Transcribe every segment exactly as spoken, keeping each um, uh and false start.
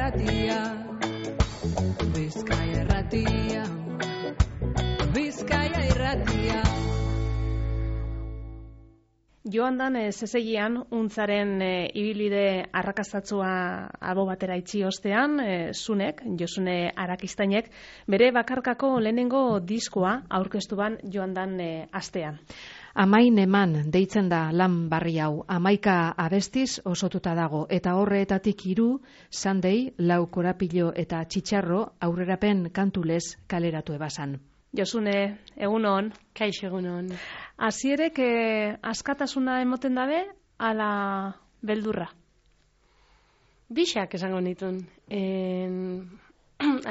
irratia, Bizkaia irratia, Bizkaia irratia. Joan dan zezegian untzaren e, ibilbide arrakastatsua albo batera itxi ostean, e, Zunek, Josune Arakistainek, bere bakarkako lehenengo diskoa aurkeztu ban joan dan e, astean. Amain eman deitzen da lan barri hau, amaika abestiz osotuta dago, eta horretatik hiru Sunday, lau korapilo eta txitxarro aurrerapen kantulez kaleratu ebasan. Josune, egunon. Kaixo egunon. Hasierek eh, askatasuna emoten dabe, ala beldurra? Bixak esango nitun.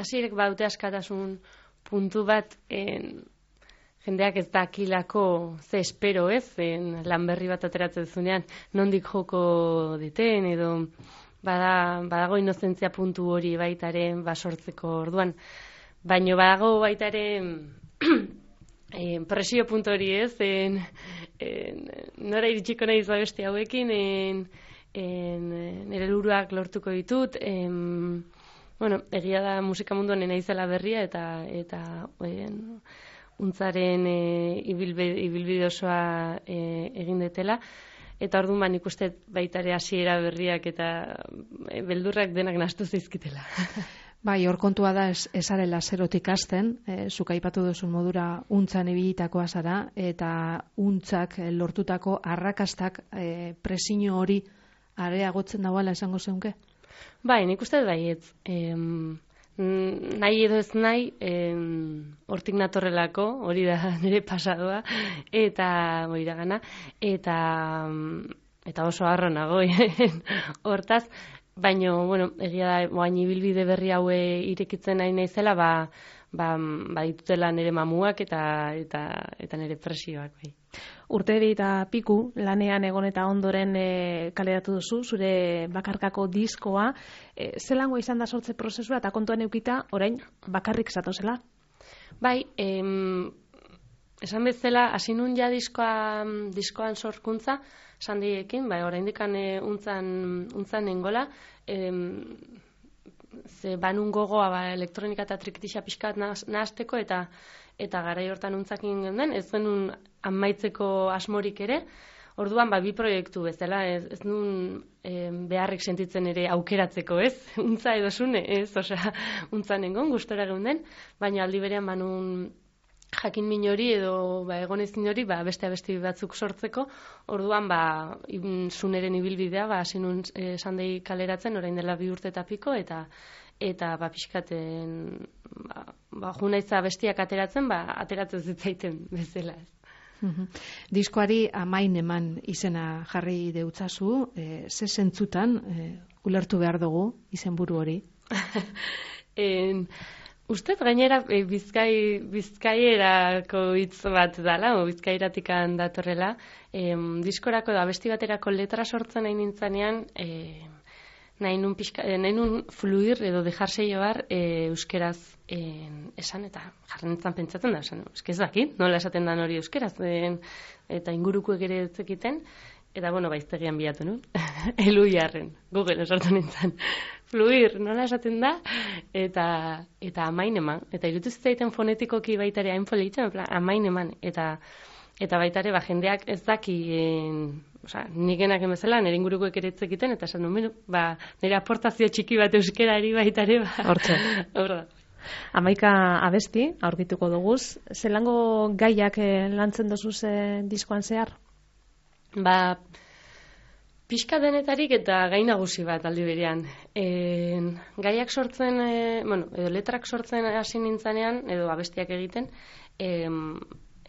Hasierek baute askatasun puntu bat, en, jendeak ez dakilako ze espero ez, en, lan berri bat ateratzen zunean, nondik joko deten, edo bada, badago inozentzia puntu hori baitaren basortzeko orduan. Baino badago baitaren eh, presio puntu hori ez, en, en, nora iritsiko nahi beste hauekin, en, en, nire luruak lortuko ditut, en, bueno, egia da musika munduan naizela berria eta eta en, untzaren e, ibilbide osoa e, egin detela, eta orduan ba, nik uste baitare hasiera berriak eta e, beldurrak denak nahastu zaizkitela. Bai, hor kontua da ez, ezarela zerotik hasten, e, zuk aipatu duzun modura untzan ibilitakoa zara, eta untzak e, lortutako arrakastak e, presio hori areagotzen dauala esango zeunke? Bai, nik uste bai ez. Em, nahi edo ez nahi, em, hortik natorrelako, hori da nire pasadoa, eta hori da gana, eta, eta oso harro nago, hortaz, baina, bueno, egia da, baina ibilbide berri haue irekitzen nahi naizela, ba, ba, ba ditutela nire mamuak eta, eta, eta nire presioak, bai. Urte eta piku lanean egon eta ondoren e, kaleratu duzu, zure bakarkako diskoa, e, zelango izan da sortze prozesua eta kontuan eukita, orain bakarrik zatozela? Bai, em, esan bezala, hasi nun ja diskoa, diskoan sorkuntza, sandiekin, bai, orain dikan e, untzan, untzan nengola, em, ze banun gogoa ba, elektronika eta trikitixa pixkat nahazteko eta eta garai hortan untzakin genden, ez genuen amaitzeko asmorik ere, orduan ba, bi proiektu bezala, ez, ez nun e, beharrik sentitzen ere aukeratzeko, ez? Untza edo zune, ez? Osea, untzan nengon, gustora geunden, baina aldi berean banun jakin min hori edo ba, egonezin hori ba, beste abesti batzuk sortzeko, orduan ba, zuneren ibilbidea, ba, hasi nun e, sandei kaleratzen, orain dela bi urte eta piko, eta eta ba, pixkaten ba, ba, junaitza bestiak ateratzen, ba, ateratzen zitzaiten bezala. Uhum. Diskoari amain eman izena jarri deutzazu, e, ze zentzutan e, ulertu behar dugu izenburu hori? en, Ustez gainera e, bizkai, bizkaierako hitz bat dala, o bizkairatikan datorrela, e, diskorako da besti baterako letra sortzen nahi nintzanean, e, nahi nun, pixka, e, nahi nun fluir edo dejarse llevar e, euskeraz e, esan, eta jarren nintzen pentsatzen da, esan, ez dakit, nola esaten da hori euskeraz, e, eta ingurukuek ere etzekiten, eta bueno, baiztegian bilatu nun, elu jarren, Google sortu nintzen. Fluir, nola esaten da, eta eta amain eman, eta irutu zitzaiten fonetikoki baitare hain politzen, amain eman, eta eta baitare ba, jendeak ez daki, en, osea, nikenak emezela, nire ingurukoek ere etzekiten, eta esan duen, ba, nire aportazio txiki bat euskerari baitare, ba, hortze. Horda. Amaika abesti, aurkituko duguz, zelango gaiak lantzen dozuz eh, diskoan zehar? Ba, pixka denetarik eta gai nagusi bat aldi berean. E, gaiak sortzen, e, bueno, edo letrak sortzen hasi nintzanean, edo abestiak egiten, e,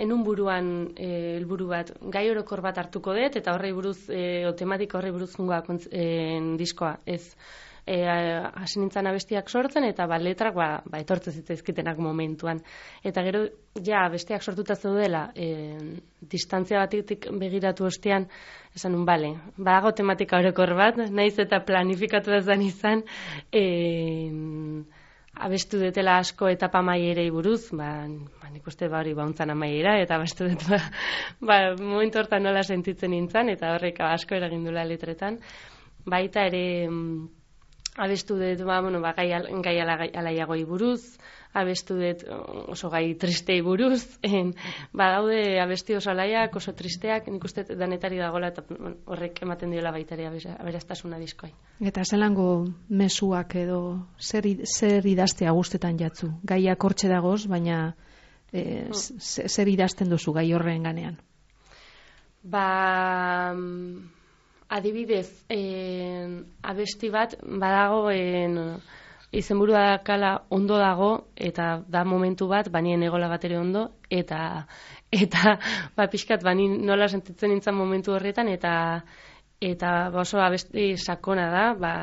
enun buruan e, helburu bat, gai orokor bat hartuko dut, eta horrei buruz, e, o tematika horrei buruz jungoa e, diskoa, ez e, hasi nintzen abestiak sortzen, eta ba, letrak ba, ba, etortzen zitzaizkitenak momentuan. Eta gero, ja, abestiak sortuta zeudela, e, distantzia batetik begiratu ostean, esan nun, bale, badago tematika orokor bat, naiz eta planifikatu ez dan izan, e, abestu detela asko etapa maierei buruz, ba, ba nik uste ba hori bauntzan amaiera, eta abestu dut, ba, ba, momentu hortan nola sentitzen nintzen, eta horrek asko eragindula letretan. Baita ere, abestu dut, ba, bueno, ba, gai, al, gai ala, alaiagoi buruz, abestu dut oso gai tristei buruz, en, ba, daude abesti oso alaiak, oso tristeak, nik uste danetari dagoela, eta bueno, horrek ematen diola baitari aberastasuna diskoai. Eta zelango mezuak edo zer, zer idaztea guztetan jatzu? Gaiak hortxe dagoz, baina e, mm. zer idazten duzu gai horren ganean? Ba... Adibidez, en, abesti bat badago en, izenburua kala ondo dago eta da momentu bat banien egola bat ere ondo eta eta ba pixkat bani nola sentitzen nintzen momentu horretan eta eta ba, oso abesti sakona da, ba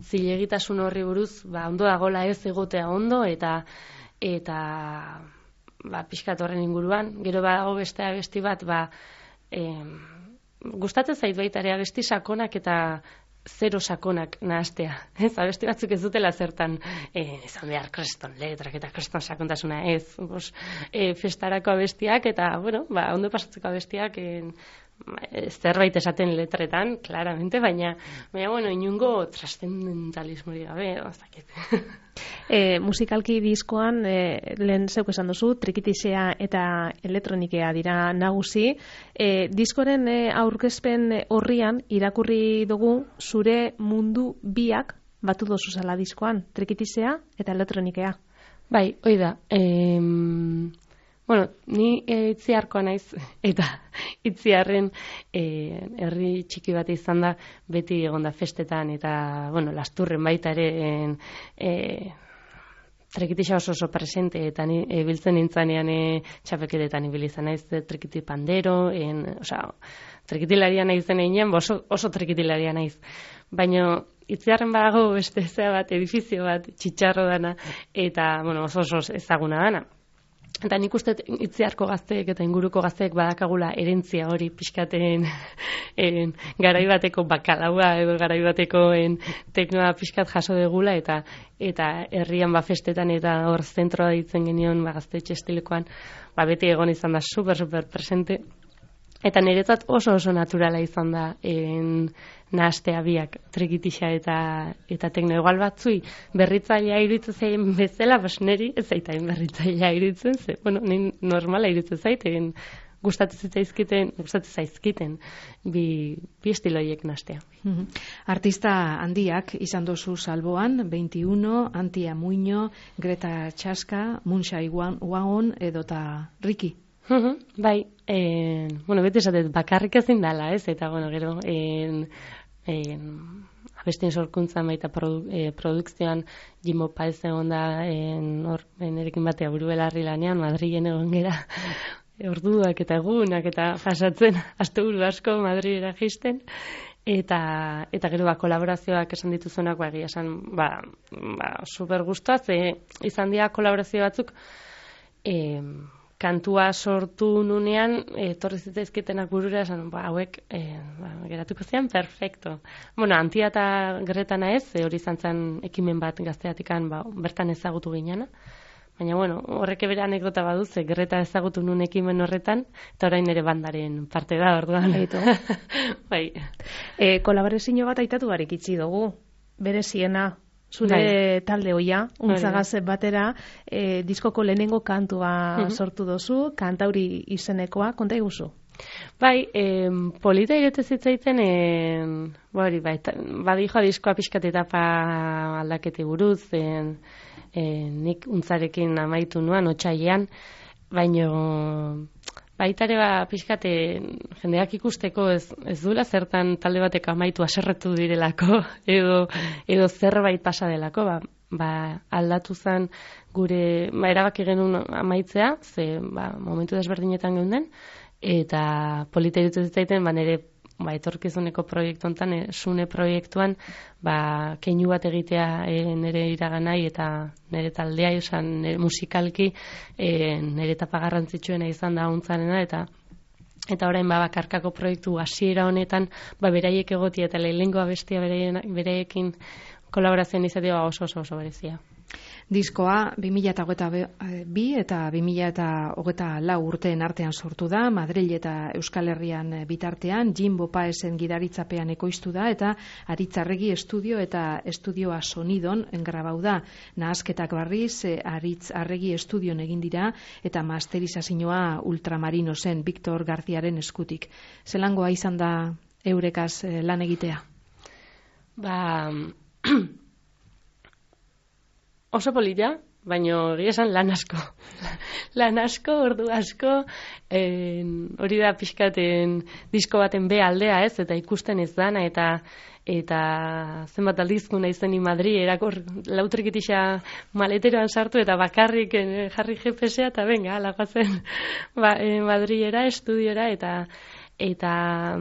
zilegitasun horri buruz, ba ondo dagola ez egotea ondo eta eta ba pixkat horren inguruan, gero badago beste abesti bat, ba em, gustatzen zait baita ere abesti sakonak eta zero sakonak nahastea. Ez, abesti batzuk ez dutela zertan eh, izan behar kreston letrak eta kreston sakontasuna ez. Bos, eh, festarako abestiak eta, bueno, ba, ondo pasatzeko abestiak eh, zerbait esaten letretan, claramente, baina, baina bueno, inungo trascendentalismori gabe, ozakit. E, musikalki diskoan, e, lehen zeuk esan duzu, trikitisea eta elektronikea dira nagusi. E, diskoren e, aurkezpen horrian irakurri dugu zure mundu biak batu dozu zala diskoan, trikitisea eta elektronikea. Bai, hoi da. Em... Bueno, ni e, itziarkoa naiz, eta itziarren e, herri txiki bat izan da, beti egonda festetan, eta, bueno, lasturren baita ere, en, e, trekitisa oso oso presente, eta ni e, biltzen nintzanean e, txapeketetan ibili izan naiz, trekiti pandero, en, osea, trekitilaria naizen einean, oso, oso trekitilaria naiz. Baina itziarren badago beste zea bat, edifizio bat, txitxarro dana, eta, bueno, oso oso ezaguna dana. Eta nik uste itziarko gazteek eta inguruko gazteek badakagula erentzia hori pixkaten en, garaibateko bakalaua edo garaibateko teknoa pixkat jaso degula eta eta herrian ba festetan eta hor zentroa ditzen genion ba gaztetxe estilekoan ba beti egon izan da super super presente. Eta niretzat oso oso naturala izan da en, nahastea biak, trekitisa eta eta tekno igual batzui berritzailea iruditzen zaien bezala, bas neri ez zaitain berritzailea iruditzen, ze, bueno, ni normala iruditzen zaiten, gustatzen zaizkiten, gustatzen zaizkiten bi, bi estiloiek nahastea. Mm-hmm. Artista handiak izan dozu salboan, veintiuno, Antia Muño, Greta Chaska, Munshai Wagon edota Ricky. Uh-huh, bai, en, bueno, beti esatet, bakarrik ezin dala, ez? Eta, bueno, gero, en, en, abestien sorkuntzan baita produ, eh, produkzioan Jimo Paez egon da, en, hor, erekin batea buru belarri lanean, Madrilen egon gera, orduak eta egunak eta jasatzen, asteburu asko Madrilera jisten, eta eta gero ba kolaborazioak esan dituzunak ba egia esan ba, ba super gustoa ze izan dira kolaborazio batzuk eh kantua sortu nunean, etorri zitzaizkitenak burura esan, ba, hauek, e, ba, geratuko zian, perfecto. Bueno, Antia eta Greta naez, e, hori izan zen ekimen bat gazteatikan, ba, bertan ezagutu ginana. Baina, bueno, horrek bere anekdota baduz, e, Greta ezagutu nun ekimen horretan, eta orain ere bandaren parte da, orduan. Bai. E, kolaborazio bat aitatu barik itxi dugu, bere ziena, zure bai. Talde hoia, untzagaz batera, e, diskoko lehenengo kantua uh-huh. sortu dozu, kantauri izenekoa, konta iguzu? Bai, eh, polita irete zitzaiten, eh, bari, bai, badijoa diskoa pixkat etapa aldakete buruz, eh, eh, nik untzarekin amaitu nuan, otsailean, baino baitare ba pixkate jendeak ikusteko ez, ez duela zertan talde batek amaitu haserretu direlako edo edo zerbait pasa delako ba, ba aldatu zen gure ba erabaki genuen amaitzea ze ba momentu desberdinetan geunden eta polita iruditzen zitzaiten ba nere ba etorkizuneko proiektu hontan e, sune proiektuan ba keinu bat egitea e, nere iraganai eta nere taldea izan nere musikalki e, nere etapa garrantzitsuena izan da untzarena eta eta orain ba bakarkako proiektu hasiera honetan ba beraiek egotia eta lehenengo abestia beraiekin kolaborazioan izatea oso oso oso berezia. Diskoa bi mila hogeita bi eta bi mila hogeita lau urteen artean sortu da, Madril eta Euskal Herrian bitartean, Jimbo Paesen gidaritzapean ekoiztu da, eta Aritzarregi estudio eta estudioa sonidon grabau da. Nahasketak barriz, Aritz Arregi estudion egin dira, eta masterizazioa Ultramarino zen, Victor Garziaren eskutik. Zelangoa izan da eurekaz lan egitea? Ba... Oso polita, baina egia esan lan asko. Lan asko, ordu asko, en, hori da pixkaten disko baten be aldea ez, eta ikusten ez dana, eta eta zenbat aldizku nahi zen Madri, erakor lautrikitisa maleteroan sartu, eta bakarrik en, jarri G P S-a, eta venga, alagoazen ba, Madriera, estudiora, eta eta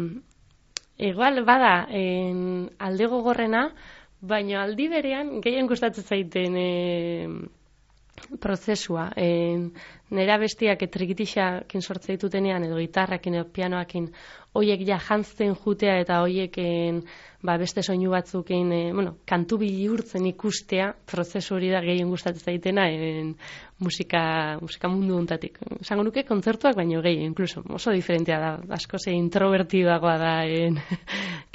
igual bada en, alde gogorrena, baina aldi berean gehien gustatzen zaiten e, prozesua. E, nera bestiak etrikitixakin sortze ditutenean, edo gitarrakin, edo pianoakin, hoiek ja jantzen jutea, eta hoieken ba, beste soinu batzukin, e, bueno, kantu bihurtzen ikustea, prozesu hori da gehien gustatzen zaitena en, musika, musika mundu untatik. Esango nuke kontzertuak, baino gehien, incluso, oso diferentea da, asko ze introvertidagoa da en,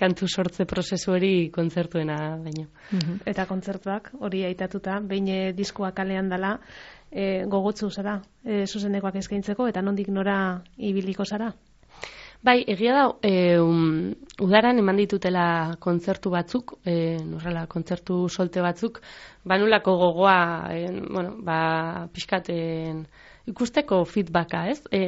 kantu sortze prozesu hori kontzertuena baino. Mm-hmm. Eta kontzertuak hori aitatuta, behin diskoa kalean dela, e, gogotzu zara, e, zuzenekoak eskaintzeko, eta nondik nora ibiliko zara? Bai, egia da, e, um, udaran eman ditutela kontzertu batzuk, e, norrela, kontzertu solte batzuk, banulako gogoa, e, bueno, ba, pixkaten ikusteko feedbacka, ez? E,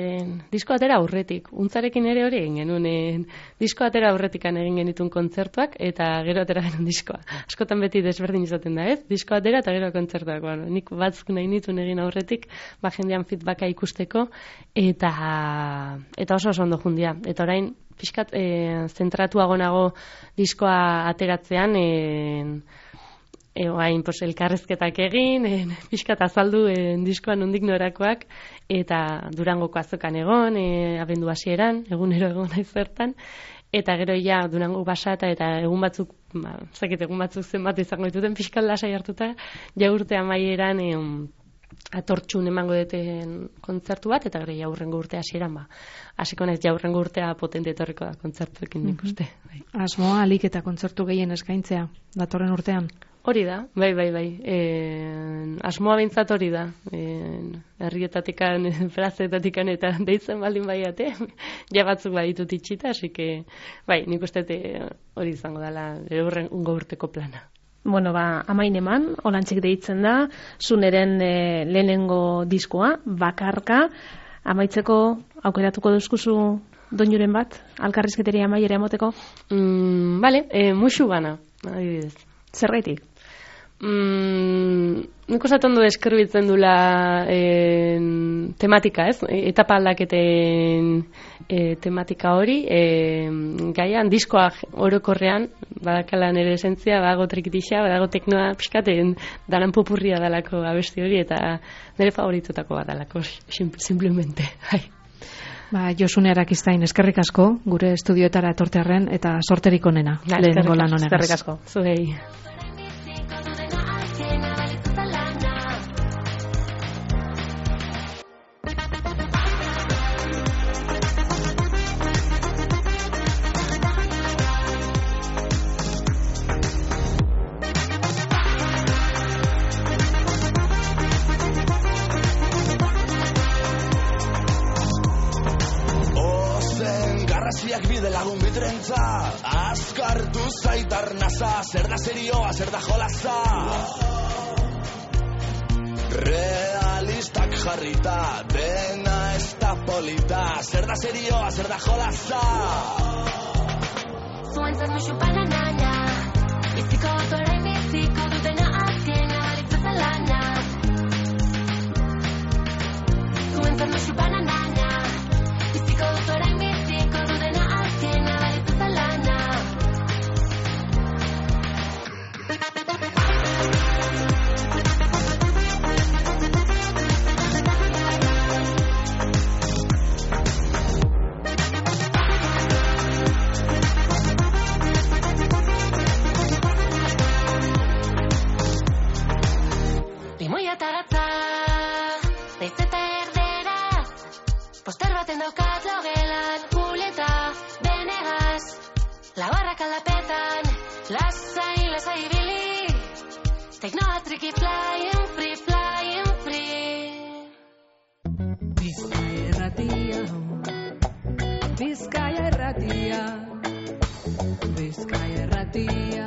disko atera aurretik, untzarekin ere hori egin genuen, e, disko atera aurretikan egin genitun kontzertuak, eta gero atera genuen diskoa. Askotan beti desberdin izaten da, ez? Disko atera eta gero kontzertuak. Bueno, nik batzuk nahi nituen egin aurretik, ba jendean feedbacka ikusteko, eta eta oso oso ondo jundia. Eta orain, pixkat, e, zentratuago nago diskoa ateratzean, e, Egoain, pues, elkarrezketak egin, en, pixkat azaldu en, diskoan nondik norakoak, eta Durangoko azokan egon, e, abendu hasieran, egunero egon naiz zertan, eta gero ja Durango basata eta egun batzuk, ba, zakit egun batzuk zenbat izango dituten pixkat lasai hartuta, ja urte amaieran e, atortxun emango deten kontzertu bat, eta gero ja urrengo urte hasieran, ba, hasiko naiz ja urrengo urtea potente etorriko da kontzertuekin nik uste. Bai. Asmoa alik eta kontzertu gehien eskaintzea, datorren urtean? Hori da, bai, bai, bai. E, asmoa bintzat hori da. E, herrietatikan, plazetatikan eta deitzen baldin baiate, ja batzuk baditut itxita, así que, bai, nik uste hori izango dela urrengo urteko plana. Bueno, ba, amain eman, holantzik deitzen da, zuneren e, lehenengo diskoa, bakarka, amaitzeko aukeratuko duzkuzu doinuren bat, alkarrizketeria amaiera emoteko? Mm, vale, e, musu bana, adibidez. Zergaitik? Mm, nik usatzen du eskerbitzen dula en, tematika, ez? Etapa aldaketen e, tematika hori, e, gaian, diskoa orokorrean, badakala nire esentzia, badago trikitixa, badago teknoa pixkaten danan popurria dalako abesti hori, eta nire favoritutako bat dalako, simplemente, hai. Ba, Josune Arakistain, eskerrik asko, gure estudioetara etortearren, eta sorterik onena, ja, lehenengo lan honegaz. Eskerrik asko, zuhei. Azkartu zaitar naza, zer da serioa, zer da jolaza. Realistak jarrita, dena ez da polita, zer da serioa, zer da jolaza. Zuentzat musu bananana, biziko otorain biziko dutena azkena balitzata lana. Zuentzat musu bananana, biziko otorain biziko dutena azkena balitzata lana. Lasai, lasai ibili, teknoatriki flying free, flying free. Bizkaia irratia, Bizkaia irratia, Bizkaia irratia.